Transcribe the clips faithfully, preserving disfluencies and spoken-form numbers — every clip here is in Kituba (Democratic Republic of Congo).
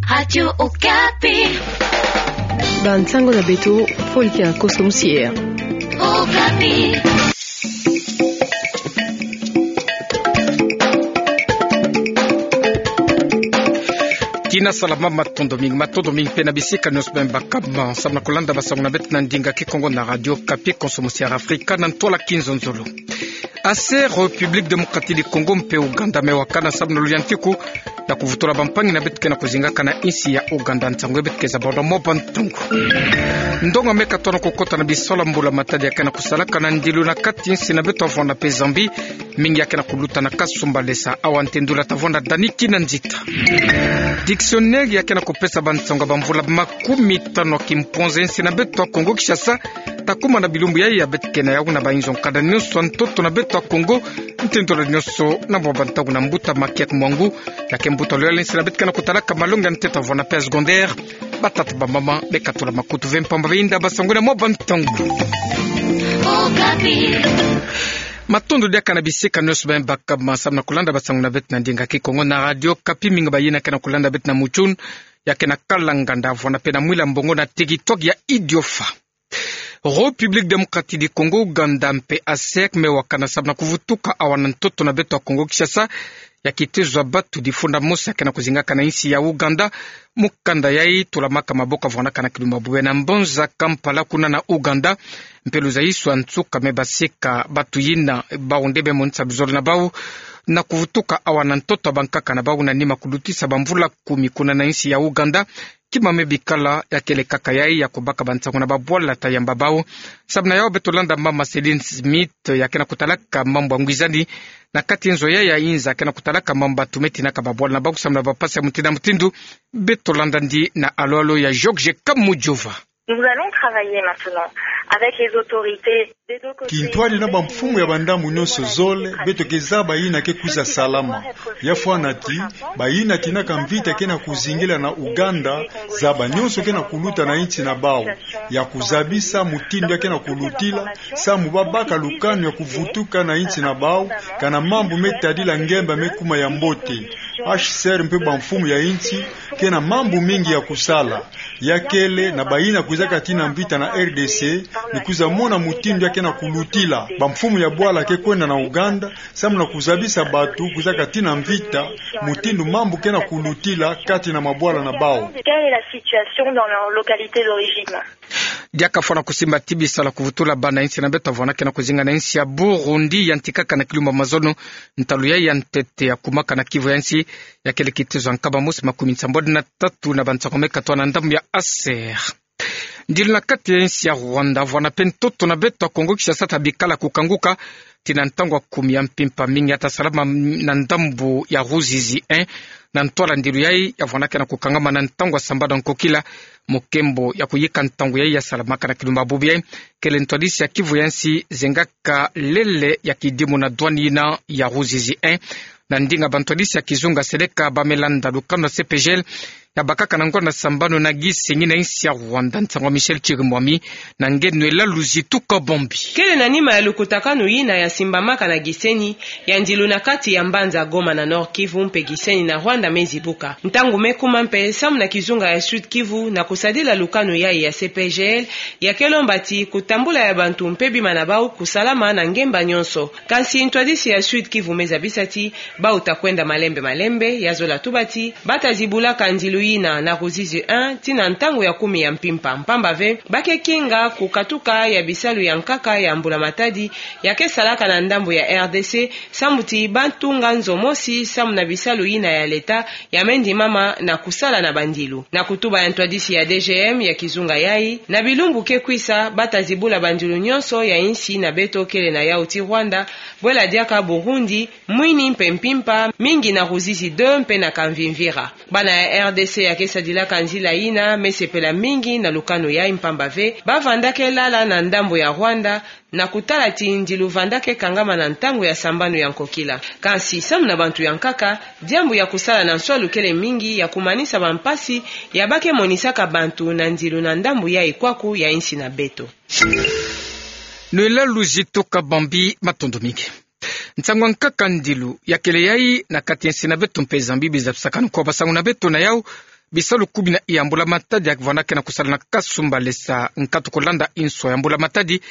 Radio Okapi. Bansango na beto, Folika Koso Musier. Okapi. Tina salama, matondo mingi, matondo mingi mpe na bisika nyonso beno bakama samu na kulanda bansango na beto na ndinga Kikongo na Radio Okapi, Koso Musier Afrika, na ntwala kinzonzolo. Aser République Démocratique du Congo mpe Ouganda me wakana samu na luyantiku ya kuvutula bampangi na beto ke na kuzingaka na insi ya Ouganda. Nsangu ya beto ke zabana mo ba ntangu. Ndonga me katona kukota na bisola mbula matadi ya ke na kusalaka na ndilu na kati insi na beto, Rwanda mpe Zambie, mingi ya ke na kuluta na kasumbalesa. Awa ntendula ta vwanda Dani Kinanzita. Dictionnaire ya ke na kupesa bansangu ya bamvula makumi tano ya kimpwanza insi na beto ya Kongo Kinshasa, ta kuma na bilumbu yayi ya beto ke na yawu na bayinzo nkanda nyonso ya ntoto na beto ya Kongo, ntendula nyonso na mwa bantangu na mbuta Makiak Mwangu, ya ke mbuta loyal insi na beto ke na kutalaka malongi ya ntete, Rwanda mpe secondaire. Batata, bamama, bekatula makutu ve mpamba ve inda basangwini mo ba ntangu. Okapi. Matondo diaka na bisika nyonso beno bakama samu na kulanda bansango na beto na ndinga Kikongo na Radio Okapi, mingi bayina ke na kulanda beto na Mutshune, ya ke na Kalanganda, Rwanda mpe na Mwila Mbongo na TikTok ya Idiofa. République Démocratique du Congo, Ouganda mpe ASEC me wakana samu na kuvutuka awa na ntoto na beto ya Kongo Kinshasa ya kitezo ya batu difunda mosi ya ke na kuzingaka na insi ya Ouganda. Mukanda yayi tulamaka maboko ya vwanakana kilumbu ya bubu na mbanza Kampala kuna na Ouganda. Mpe luzayiso ya nsuka me basika batu yina, bau nde me monisa luzolo na bau na kuvutuka awa na ntoto ya bankaka na bau na nima kulutisa bamvula kumi kuna na insi ya Ouganda. Kima me bikala ya kele kaka yayi ya kubaka bansangu na babwala ta yamba bau. Samu na yawu beto landa mama Céline Smith, ya ke na kutalaka mambu ya ngwizani na kati nzo yayi ya inza, ke na kutalaka mambu batu me tinaka babwala na bau samu na bampasi ya mutindu na mutindu. Beto landa ndi na alo-alo ya Georges Kamujova. Nous allons travailler maintenant avec les autorités. Kintwadi na bamfumu ya bandambu nyonso zole, beto ke zaba yina ke kwiza salama. Ya fwana ti, bayina tinaka mvita ke na kuzingila na Ouganda, zaba nyonso ke na kuluta na insi na bau, ya kuzabisa mutindu ya ke na kulutila, samu babaka lukanu ya kuvutuka na insi na bau, kana mambu me tadila ngemba me kuma ya mbote. H C R mpe bamfumu ya insi ke na mambu mingi ya kusala. Ya kele na bayina kwizaka tina mvita na R D C, ni kwiza mona mutindu ya ke na kulutila. Bamfumu ya bwala ke kwenda na Ouganda samu na kuzabisa batu kwizaka tina mvita mutindu mambu ke na kulutila kati na mabwala na bau. Quelle est la situation dans leur localité d'origine ? Diaka fwana kusimba ti bisalu ya kuvutula bana insi na beto ya vwana ke na kuzinga na insi ya Burundi yantikaka na kilumbu ya mazono. Ntalu yayi ya ntete ya kumaka na Kivu ya nsi ya kele kitezo ya nkama mosi makumi nsambwadi na tatu na bansangu me katwa na ndambu ya A C R. Ndilu na kati ya insi ya Rwanda, vwana mpe ntoto na beto ya Kongo Kinshasa ta bikala kukanguka tii na ntangu ya kumi ya mpimpa. Mingi ya ta salama na ndambu ya Ruzizi un, na ntwala ndilu yayi ya vwana ke na kukangama na ntangu ya sambanu ya nkokila, mu nkembo ya kuyika ntangu yayi ya salamaka na kilumbu ya bubu yayi. Kele ntwadisi ya Kivu ya nsi zengaka lele ya kidimu na douane yina ya Ruzizi un. Na ndinga bantwadisi ya kizunga seleka, ba me landa lukanu ya C P G L ya bakaka na ngonda sambanu na gisenyi na insi ya Rwanda. Nsangu ya Michel Chirimwami na nge Nwela Luzitu Kabombi. Kele na nima ya lukutakanu yina ya simbamaka na gisenyi ya ndilu na kati ya mbanza Goma na Nord-Kivu mpe gisenyi na Rwanda me zibuka. Ntangu me kuma mpe samu na kizunga ya Sud-Kivu na kusadila lukanu yayi ya C P G L, ya ke lomba ti kutambula ya bantu mpe bima na bau kusalama na ngemba nyonso. Kansi ntwadisi ya Sud-Kivu me zabisa ti bau ta kwenda malembe malembe, ya zola tuba ti ba ta zibulaka ndilu yina na Ruzizi un tii na ntangu ya kumi ya mpimpa, mpamba ve ba ke kinga kukatuka ya bisalu ya nkaka ya mbula matadi ya ke salaka na ndambu ya R D C, samu ti ba tunga nzo mosi samu na bisalu yina ya leta ya me ndimama na kusala na bandilu. Na kutuba ya ntwadisi ya D G M ya kizunga yayi, na bilumbu ke kwisa ba ta zibula bandilu nyonso ya insi na beto, kele na yawu tii Rwanda, bwela diaka Burundi, Mwini mpe mpimpa mingi na Ruzizi deux mpe na Kamvimvira. Bana ya R D C ya ke sadilaka nzila yina me sepela mingi na lukanu yayi, mpamba ve ba vanda ke lala na ndambu ya Rwanda, na kutala ti ndilu vanda ke kangama na ntangu ya sambanu ya nkokila. Kansi samu na bantu ya nkaka, diambu ya kusala na nswalu kele mingi ya kumanisa bampasi ya ba ke monisaka bantu na ndilu na ndambu yayi kwaku ya insi na beto. Nwela Luzitu Kabombi, matondo mingi. Nsangu ya nkaka ndilu ya kele yayi na kati ya insi na beto mpe Zambie, biza bisakanu kwa basangu na beto na yawu. bisalu kumi na iya mbula matadi ya kivwanda ke na kusala na Kasumbalesa, nkatu kolanda inso ya mbula matadi,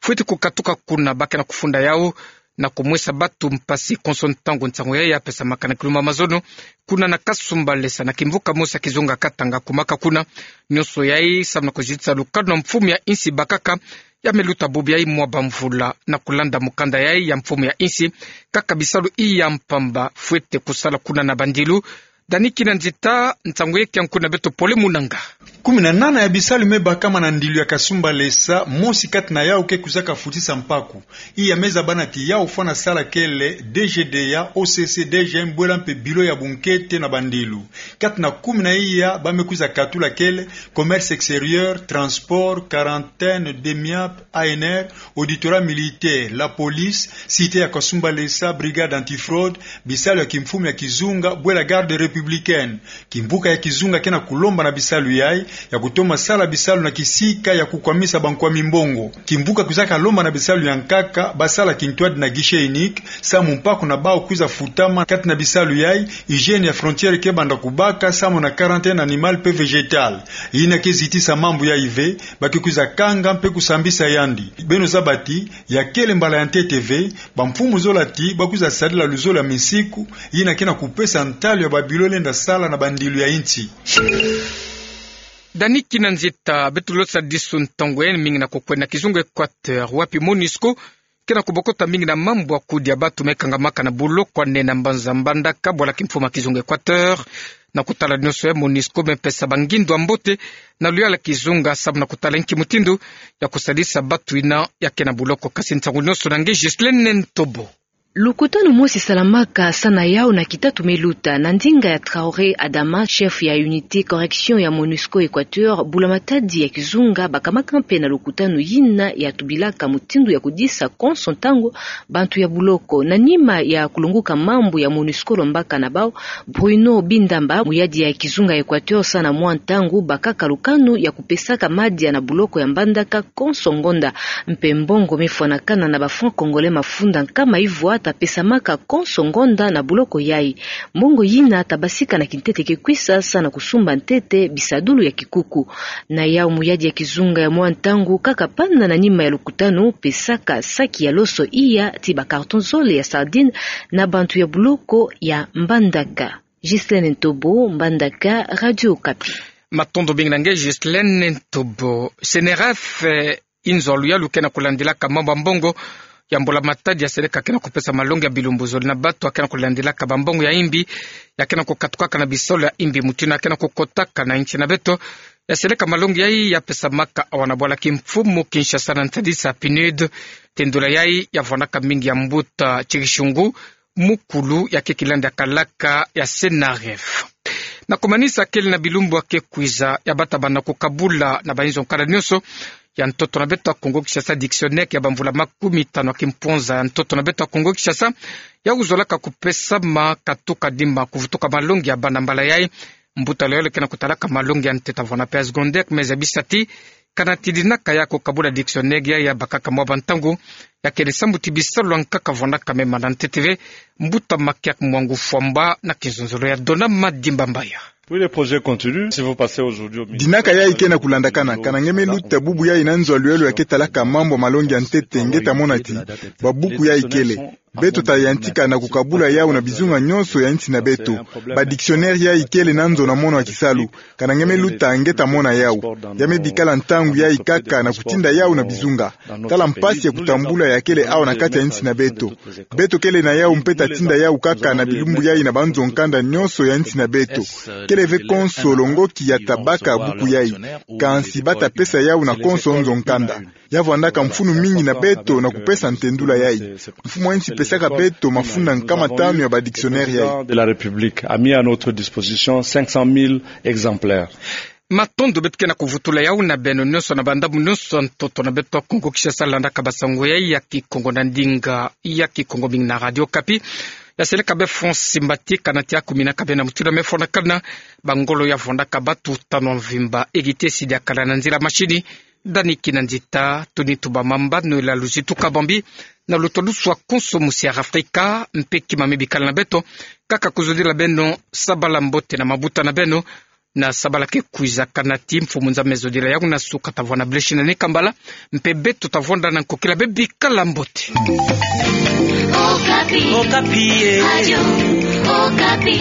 fweti kukatuka kuna ba ke na kufunda yau na kumwesa batu mpasi konso ntangu nsangu yayi ya pesamaka na kilumbu ya mazono, kuna na Kasumbalesa na kimvuka mosi ya kizunga Katanga kumaka kuna. Nionso yayi samu na kuzitisa lukanu na mfumu ya insi bakaka ya me luta bubu yayi mwa bamvula. Na kulanda mukanda yayi ya mfumu ya insi, kaka bisalu iya mpamba fwete kusala kuna na bandilu. Dani Kinanzita, nsangu yeka nkuna beto pole munanga. Kumi na nana ya bisalu me bakama na ndilu ya Kasumbalesa, mosi kati na yau ke kwizaka futisa mpaku. Iya me zabana ti yau fwana sala kele D G D A, O C C, D G M, bwela mpe bilo ya bunkete na bandilu. Kati na kumi na iya ba me kwiza katula kele commerce extérieur, transport, quarantaine, DEMIAP, A N R, auditorat militaire, la police, cité ya Kasumbalesa, brigade antifraude, bisalu ya kimfumu ya kizunga, bwela garde républicaine. Kimvuka ya kizunga ke na kulomba na bisalu yayi ya kutoma sala bisalu na kisika ya kukwamisa bankwami mbongo. Kimvuka kwizaka lomba na bisalu ya nkaka ba sala kintwadi na guichet unique, samu mpaku na bau kwiza futama. Kati na bisalu yayi, hygiène ya frontière ke banda kubaka, samu na quarantaine animale mpe végétale. Yina ke zitisa mambu yayi ve, ba ke kwiza kanga mpe kusambisa yandi. Beno zaba ti ya kele mbala ya ntete ve, bamfumu zola ti ba kwiza sadila luzolo ya misiku, yina ke na kupesa ntalu ya babilo lenda sala na bandilu ya insi. Dani Kinanzita, beto losadisu ntangu ya yingi na kukwenda na kizunga Équateur, wapi MONUSCO ke na kubokota mingi na mambu ya kudia batu me kangamaka na buloko ya nene na mbanza Mbandaka, bwala kimfumu ya kizunga Équateur. Na kutala nionso yayi, MONUSCO me pesa bangindu ya mbote na luyala kizunga samu na kutala nki mutindu ya kusadisa batu yina ya ke na buloko. Kasi nsangu nionso na nge Ghislaine Ntobo. Lukutanu mosi salamaka sana yau na kitatu me luta na ndinga ya Traoré Adama, chef ya unité correction ya MONUSCO Équateur, bula matadi ya kizunga bakamaka mpe na lukutanu yina ya tubilaka mutindu ya kudisa konso ntangu bantu ya buloko. Na nima ya kulunguka mambu ya MONUSCO lombaka na bau, Bruno Bindamba, muyadi ya kizunga Équateur, sana mwa ntangu bakaka lukanu ya kupesaka madia na buloko ya Mbandaka konso ngonda. Mpe mbongo me fwanakana na ba francs congolais mafunda nkama ivwa ta pesamaka konso ngonda na buloko yayi. Mbongo yina ta basika na kintete ke kwisa sana kusumba ntete bisadulu ya kikuku. Na yau, muyadi ya kizunga ya mwa ntangu kaka panda na nima ya lukutanu pesaka saki ya loso iya ti ba carton zole ya sardine na bantu ya buloko ya Mbandaka. Ghislaine Ntobo, Mbandaka, Radio Okapi. Matondo mingi na nge Ghislaine Ntobo. CNRF, eh, inzo ya luyalu ke na kulandilaka mambu ya mbongo ya mbula matadi ya seleka ke na kupesa malongi ya bilumbu zole na batu ya ke na kulandilaka bambongo ya imbi ya ke na kukatukaka na bisolo ya imbi, mutindu ya ke na kukotaka na insi na beto. Ya seleka malongi yayi ya pesamaka awa na bwala kimfumu Kinshasa na nsadisa PNUD. Tendula yayi ya vwandaka mingi ya mbuta Tshikishungu, mukulu ya ke kilandi ya kalaka ya CNRF. Na kumanisa, kele na bilumbu ya ke kwiza ya bata bana kukabula na bainzo nkanda nionso ya ntoto na beto ya Kongo Kinshasa, dictionnaire ya bamvula makumi tanu ya kimpwanza ya ntoto na beto ya Kongo Kinshasa, ya kuzolaka kupesama katuka dimba kuvutuka malongi ya bana mbala yayi. Mbuta lolo ke na kutalaka malongi ya ntete vwanda mpe ya secondaire, me zabisa ti kana tidinaka ya kukabula dictionnaire yayi ya bakaka mwa bantangu, ya kele sambu ti bisalu ya nkaka vwandaka me mana ntete ve. Mbuta Makiak Mwangu Fwamba na kizonzolo ya Dona Madimba Mbaya. Oui, le projet continue. Si vous passez aujourd'hui au ministère, dinaka yayi ke na kulandakana, kana nge me luta bubu yayi na nzo ya luyalu ya ke talaka mambu ya malongi ya ntete, nge ta mona ti babuku yayi kele. Beto ta yantika na kukabula yau na bizunga nionso ya insi na beto. Ba dictionnaire yayi kele na nzo na mono ya kisalu. Kana nge me luta, nge ta mona yau. Ya me bikala ntangu yayi kaka na kutinda yau na bizunga. Tala mpasi ya kutambula ya kele awa na kati ya insi na beto. Beto kele na yau mpe ta tinda yau kaka na bilumbu yayi na banzo nkanda nionso ya insi na beto. Kele ve konso longoki ya ta baka buku yayi. Kansi ba ta pesa yau na konso nzo nkanda. Ya vwandaka mfunu mingi na beto na kupesa ntendula yayi. Mfumu ya insi pesaka beto mafunda nkama tanu ya ba dictionnaire yayi. De la République a mis à notre disposition cinq cent mille exemplaires. Matondo. Beto ke na kuvutula yau na beno nionso na bandambu nionso ya ntoto na beto ya Kongo Kinshasa, landaka basango yayi ya Kikongo na ndinga ya Kikongo mingi na Radio Okapi. Ya seleka be Francis Mbati, kana ti akuminaka beno na mutindu ya me fwanakana, bangolo ya vwandaka batu tanu ya mvimba. Egite Sidi Akala na nzila mashini. Dani Kinanzita, tuni tuba mamba, nwela luzitu kabambi na luto lusu ya konso musi ya Afrika, mpe kima me bikala na beto, kaka kuzodila beno sabala mbote na mabuta na beno. Na sabalaka kwiza kanati, mfumu Nzambi Zodila ya kuna suka tavwanda bleshina ni kambala, mpe beto tavwanda na nkokila be bikala mbote. Okapi. Okapi, eh. Radio Okapi.